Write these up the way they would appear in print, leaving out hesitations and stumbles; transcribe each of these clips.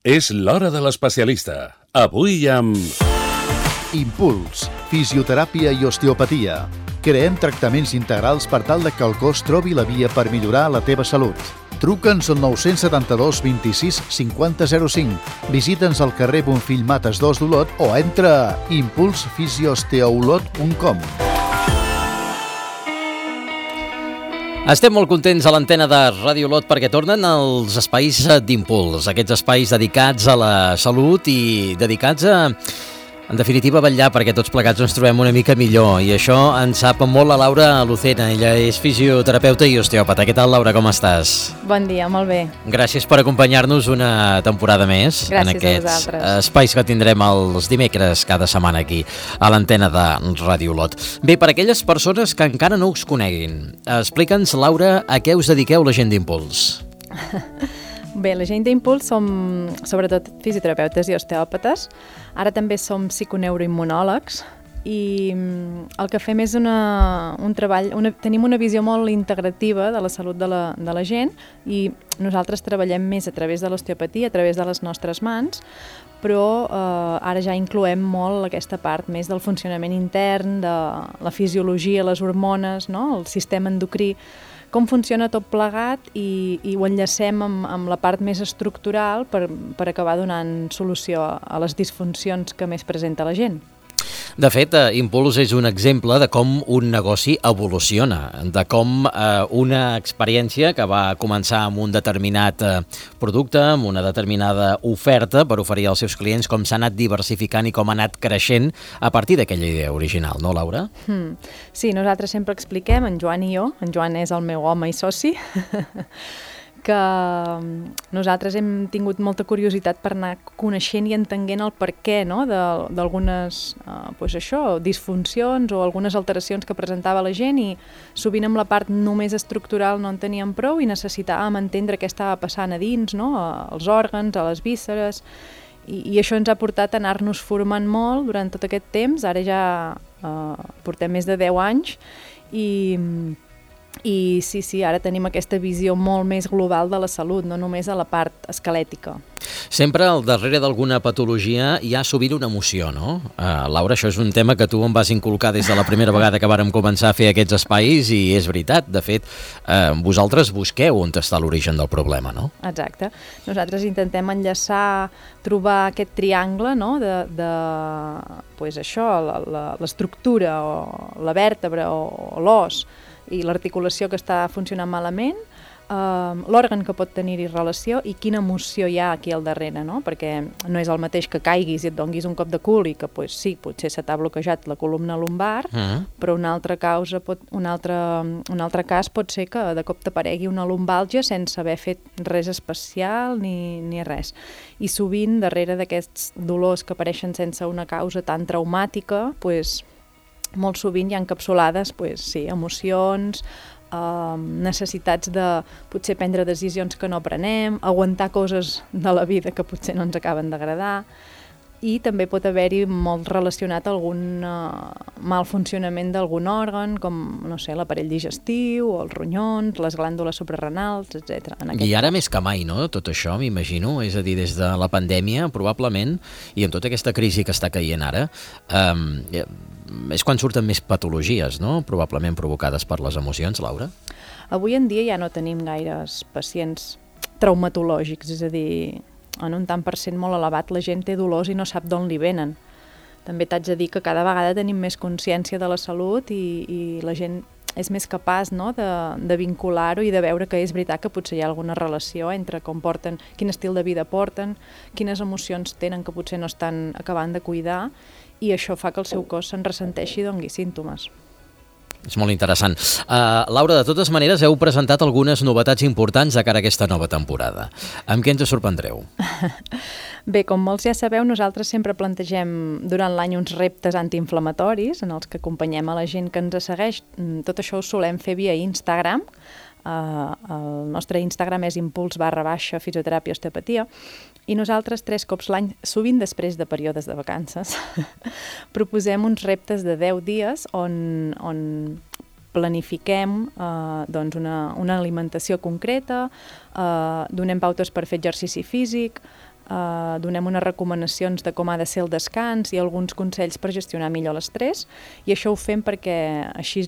És l'hora de l'especialista. Avui amb... Impuls, fisioteràpia i osteopatia. Creem tractaments integrals per tal que el cos trobi la via per millorar la teva salut. Truca'ns al 972 26 50 05. Visita'ns al carrer Bonfill Mates 2 d'Olot o entra a impulsfisiosteolot.com. Estem molt contents a l'antena de Ràdio Olot perquè tornen els espais d'impuls, aquests espais dedicats a la salut i dedicats a, en definitiva, vetllar perquè tots plegats ens trobem una mica millor. I això ens sap molt la Laura Lucena, ella és fisioterapeuta i osteòpata. Què tal, Laura, com estàs? Bon dia, molt bé. Gràcies per acompanyar-nos una temporada més. Gràcies en aquests a vosaltres. Espais que tindrem els dimecres cada setmana aquí, a l'antena de Ràdio Olot. Bé, per aquelles persones que encara no us coneguin, explica'ns, Laura, a què us dediqueu la gent d'Impuls. Bé, la gent d'Impuls som sobretot fisioterapeutes i osteòpates. Ara també som psiconeuroimmunòlegs i el que fem és un treball, tenim una visió molt integrativa de la salut de la gent i nosaltres treballem més a través de l'osteopatia, a través de les nostres mans, però ara ja incloem molt aquesta part més del funcionament intern, de la fisiologia, les hormones, no? El sistema endocrí, com funciona tot plegat i ho enllacem amb la part més estructural per acabar donant solució a les disfuncions que més presenta la gent. De fet, Impuls és un exemple de com un negoci evoluciona, de com una experiència que va començar amb un determinat producte, amb una determinada oferta per oferir als seus clients, com s'ha anat diversificant i com ha anat creixent a partir d'aquella idea original, no, Laura? Sí, nosaltres sempre expliquem, en Joan i jo, en Joan és el meu home i soci, que nosaltres hem tingut molta curiositat per anar coneixent i entenent el perquè, no? d'algunes disfuncions o algunes alteracions que presentava la gent i sovint amb la part només estructural no en teníem prou i necessitàvem entendre què estava passant a dins, no? Als òrgans, a les vísceres, i això ens ha portat a anar-nos formant molt durant tot aquest temps. Ara ja portem més de 10 anys i sí, ara tenim aquesta visió molt més global de la salut, no només a la part esquelètica. Sempre al darrere d'alguna patologia hi ha sovint una emoció, no? Laura, això és un tema que tu em vas inculcar des de la primera vegada que vàrem començar a fer aquests espais i és veritat, de fet, vosaltres busqueu on està l'origen del problema, no? Exacte. Nosaltres intentem enllaçar, trobar aquest triangle, no? L'estructura o la vèrtebra o l'os i l'articulació que està funcionant malament, l'òrgan que pot tenir-hi relació i quina emoció hi ha aquí al darrere, no? Perquè no és el mateix que caiguis i et donguis un cop de cul i que sí, potser se t'ha bloquejat la columna lumbar, però un altre cas pot ser que de cop t'aparegui una lumbàlgia sense haver fet res especial ni res. I sovint, darrere d'aquests dolors que apareixen sense una causa tan traumàtica, molt sovint hi ha encapsulades emocions, necessitats de potser prendre decisions que no prenem, aguantar coses de la vida que potser no ens acaben d'agradar, i també pot haver-hi molt relacionat algun mal funcionament d'algun òrgan, com, no sé, l'aparell digestiu, o els ronyons, les glàndules suprarrenals, etc. I ara més que mai, no?, tot això, m'imagino, és a dir, des de la pandèmia, probablement, i amb tota aquesta crisi que està caient ara, és quan surten més patologies, no?, probablement provocades per les emocions, Laura? Avui en dia ja no tenim gaires pacients traumatològics, és a dir, en un tant per cent molt elevat la gent té dolors i no sap d'on li venen. També t'haig de dir que cada vegada tenim més consciència de la salut i la gent és més capaç, no?, de vincular-ho i de veure que és veritat que potser hi ha alguna relació entre com porten, quin estil de vida porten, quines emocions tenen que potser no estan acabant de cuidar, i això fa que el seu cos se'n ressenteixi i dongui símptomes. És molt interessant. Laura, de totes maneres, heu presentat algunes novetats importants de cara a aquesta nova temporada. Amb què ens sorprendreu? Bé, com molts ja sabeu, nosaltres sempre plantegem durant l'any uns reptes antiinflamatoris en els que acompanyem a la gent que ens segueix. Tot això ho solem fer via Instagram. El nostre Instagram és impuls_fisioteràpia osteopatia i nosaltres 3 cops l'any, sovint després de períodes de vacances, proposem uns reptes de 10 dies on planifiquem una alimentació concreta, donem pautes per fer exercici físic, donem unes recomanacions de com ha de ser el descans i alguns consells per gestionar millor l'estrès, i això ho fem perquè així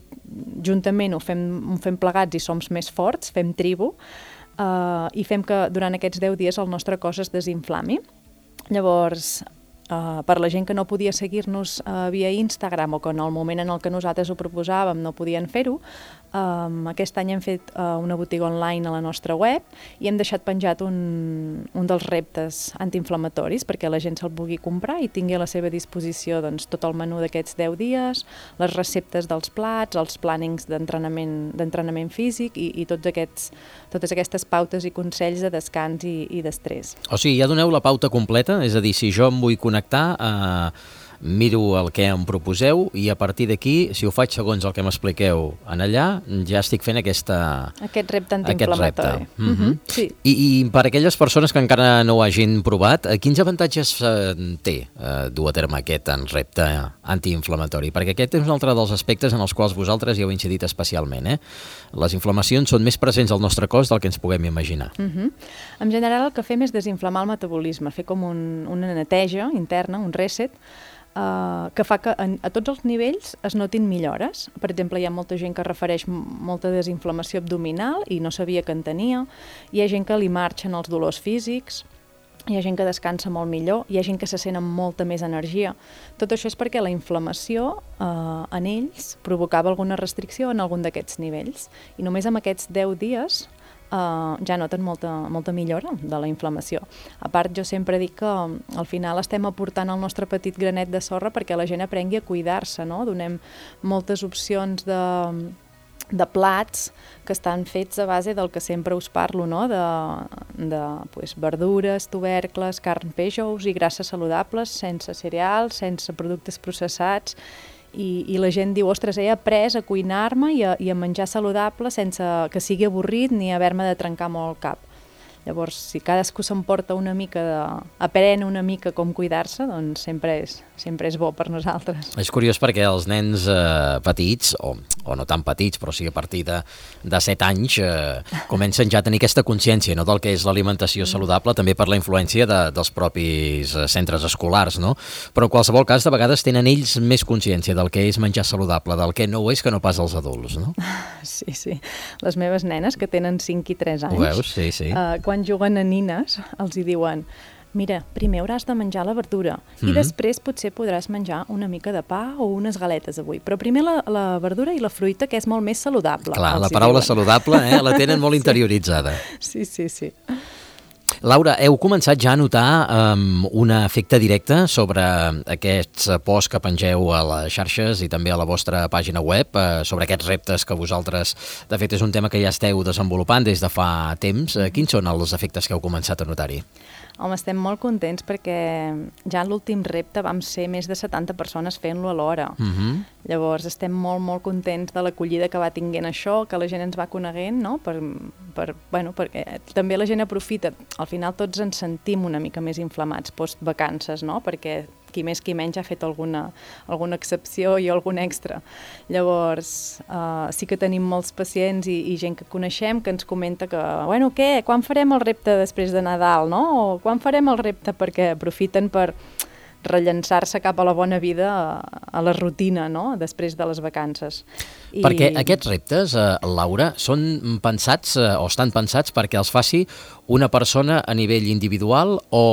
juntament ho fem plegats i som més forts, fem tribu, i fem que durant aquests 10 dies el nostre cos es desinflami. Llavors, per la gent que no podia seguir-nos via Instagram o que en el moment en el que nosaltres ho proposàvem no podien fer-ho, aquest any hem fet una botiga online a la nostra web i hem deixat penjat un dels reptes antiinflamatoris perquè la gent se'l pugui comprar i tingui a la seva disposició doncs, tot el menú d'aquests 10 dies, les receptes dels plats, els plànings d'entrenament físic i totes aquestes pautes i consells de descans i d'estrès. O sigui, ja doneu la pauta completa? És a dir, si jo em vull connectar, miro el que em proposeu i a partir d'aquí, si ho faig segons el que m'expliqueu en allà, ja estic fent aquest repte antiinflamatori. Sí. I per aquelles persones que encara no ho hagin provat, quins avantatges té dur a terme aquest repte antiinflamatori? Perquè aquest és un altre dels aspectes en els quals vosaltres hi heu incidit especialment. Les inflamacions són més presents al nostre cos del que ens puguem imaginar. En general el que fem és desinflamar el metabolisme, fer com una neteja interna, un reset, que fa que a tots els nivells es notin millores. Per exemple, hi ha molta gent que refereix molta desinflamació abdominal i no sabia que en tenia, hi ha gent que li marxen els dolors físics, hi ha gent que descansa molt millor, hi ha gent que se sent amb molta més energia. Tot això és perquè la inflamació en ells provocava alguna restricció en algun d'aquests nivells i només amb aquests 10 dies ja noten molta millora de la inflamació. A part, jo sempre dic que al final estem aportant el nostre petit granet de sorra perquè la gent aprengui a cuidar-se, no? Donem moltes opcions de plats que estan fets a base del que sempre us parlo, no? de verdures, tubercles, carn, peix, ous i grasses saludables, sense cereals, sense productes processats, i la gent diu, ostres, he après a cuinar-me i a menjar saludable sense que sigui avorrit ni haver-me de trencar molt el cap. Llavors, si cadascú s'emporta una mica aprèn una mica com cuidar-se, doncs sempre és bo per nosaltres. És curiós perquè els nens petits, o no tan petits, però sí a partir de 7 anys, comencen ja a tenir aquesta consciència, no?, del que és l'alimentació saludable, també per la influència dels propis centres escolars, no? Però en qualsevol cas, de vegades tenen ells més consciència del que és menjar saludable, del que no ho és, que no pas els adults, no? Sí. Les meves nenes, que tenen 5 i 3 anys, ho veus? Sí. Quan juguen a nines, els hi diuen, mira, primer hauràs de menjar la verdura i després potser podràs menjar una mica de pa o unes galetes avui, però primer la verdura i la fruita, que és molt més saludable. Clar, la paraula saludable la tenen molt interioritzada. Sí. Laura, heu començat ja a notar un efecte directe sobre aquests posts que pengeu a les xarxes i també a la vostra pàgina web, sobre aquests reptes que vosaltres, de fet, és un tema que ja esteu desenvolupant des de fa temps. Quins són els efectes que heu començat a notar-hi? Home, estem molt contents perquè ja en l'últim repte vam ser més de 70 persones fent-lo alhora. Llavors estem molt contents de l'acollida que va tinguent això, que la gent ens va coneguent, no? Perquè també la gent aprofita. Al final tots ens sentim una mica més inflamats post-vacances, no? Perquè qui més qui menys ha fet alguna excepció i algun extra. Llavors, sí que tenim molts pacients i gent que coneixem que ens comenta que, què? Quan farem el repte després de Nadal, no? O quan farem el repte? Perquè aprofiten per rellençar-se cap a la bona vida, a la rutina, no?, després de les vacances. Perquè aquests reptes, Laura, són pensats o estan pensats perquè els faci una persona a nivell individual o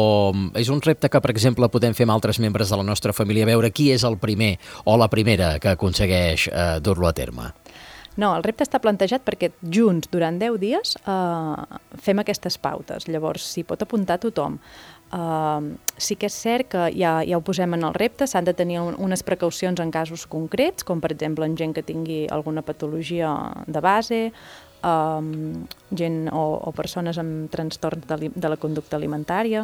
és un repte que, per exemple, podem fer amb altres membres de la nostra família, veure qui és el primer o la primera que aconsegueix dur-lo a terme? No, el repte està plantejat perquè junts, durant 10 dies, fem aquestes pautes. Llavors, s'hi pot apuntar tothom. Sí que és cert que ja ho posem en el repte, s'han de tenir unes precaucions en casos concrets, com per exemple en gent que tingui alguna patologia de base, gent o persones amb trastorns de la conducta alimentària,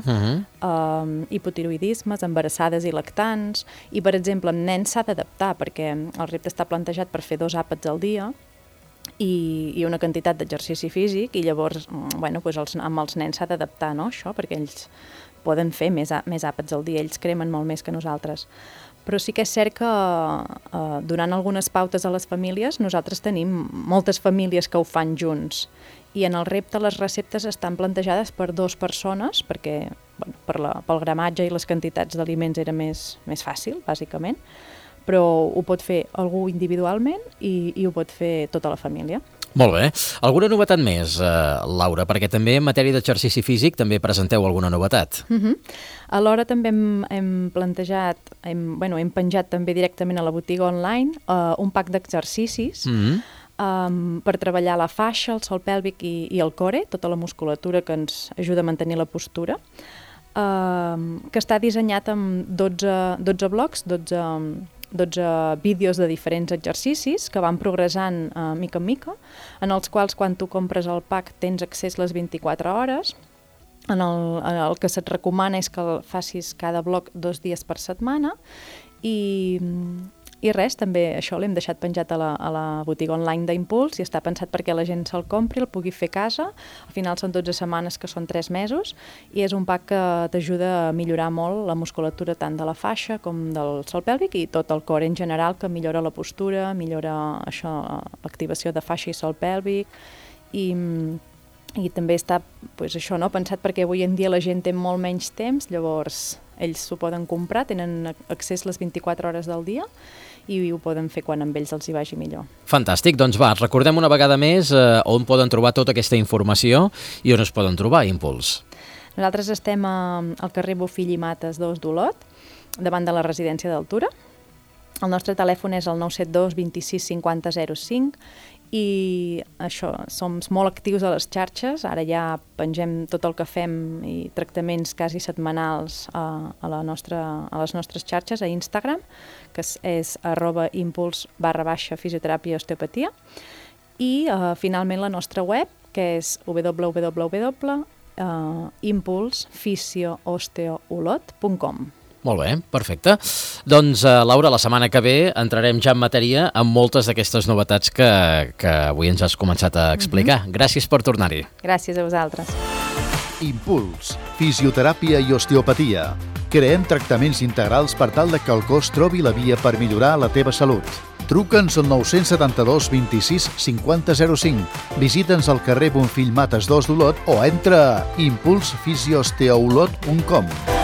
hipotiroïdismes, embarassades i lactants, i per exemple amb nens s'ha d'adaptar perquè el repte està plantejat per fer 2 àpats al dia i una quantitat d'exercici físic i llavors amb els nens s'ha d'adaptar, no, això, perquè ells poden fer més àpats al dia, ells cremen molt més que nosaltres. Però sí que és cert que donant algunes pautes a les famílies, nosaltres tenim moltes famílies que ho fan junts. I en el repte les receptes estan plantejades per 2 persones, perquè pel gramatge i les quantitats d'aliments era més fàcil, bàsicament, però ho pot fer algú individualment i ho pot fer tota la família. Molt bé. Alguna novetat més, Laura? Perquè també en matèria d'exercici físic també presenteu alguna novetat. Alhora també hem plantejat, hem penjat també directament a la botiga online un pack d'exercicis per treballar la faixa, el sòl pèlvic i el core, tota la musculatura que ens ajuda a mantenir la postura, que està dissenyat amb 12 blocs, 12 vídeos de diferents exercicis que van progressant mica en mica, en els quals quan tu compres el pack tens accés les 24 hores. El que se't recomana és que facis cada bloc 2 dies per setmana i res, també això l'hem deixat penjat a la botiga online d'Impuls i està pensat perquè la gent se'l compri, el pugui fer a casa. Al final són 12 setmanes, que són 3 mesos, i és un pack que t'ajuda a millorar molt la musculatura tant de la faixa com del sòl pèlvic i tot el cor en general, que millora la postura, millora l'activació de faixa i sòl pèlvic i també està pensat perquè avui en dia la gent té molt menys temps, llavors ells s'ho poden comprar, tenen accés les 24 hores del dia i ho poden fer quan amb ells els hi vagi millor. Fantàstic, doncs recordem una vegada més on poden trobar tota aquesta informació i on es poden trobar Impuls. Nosaltres estem al carrer Bofill i Mates 2 d'Olot, davant de la residència d'Altura. El nostre telèfon és el 972 26 50 05 i som molt actius a les xarxes. Ara ja pengem tot el que fem i tractaments quasi setmanals a les nostres xarxes, a Instagram, que és @impuls_fisioteràpia osteopatia, i finalment la nostra web, que és www.impulsfisioosteoolot.com. Molt bé, perfecte. Doncs, Laura, la setmana que ve entrarem ja en matèria amb moltes d'aquestes novetats que avui ens has començat a explicar. Gràcies per tornar-hi. Gràcies a vosaltres. Impuls, fisioteràpia i osteopatia. Creem tractaments integrals per tal que el cos trobi la via per millorar la teva salut. Truca'ns al 972 26 50 05, visita'ns al carrer Bonfill Mates 2 d'Olot o entra a impulsfisioosteoolot.com.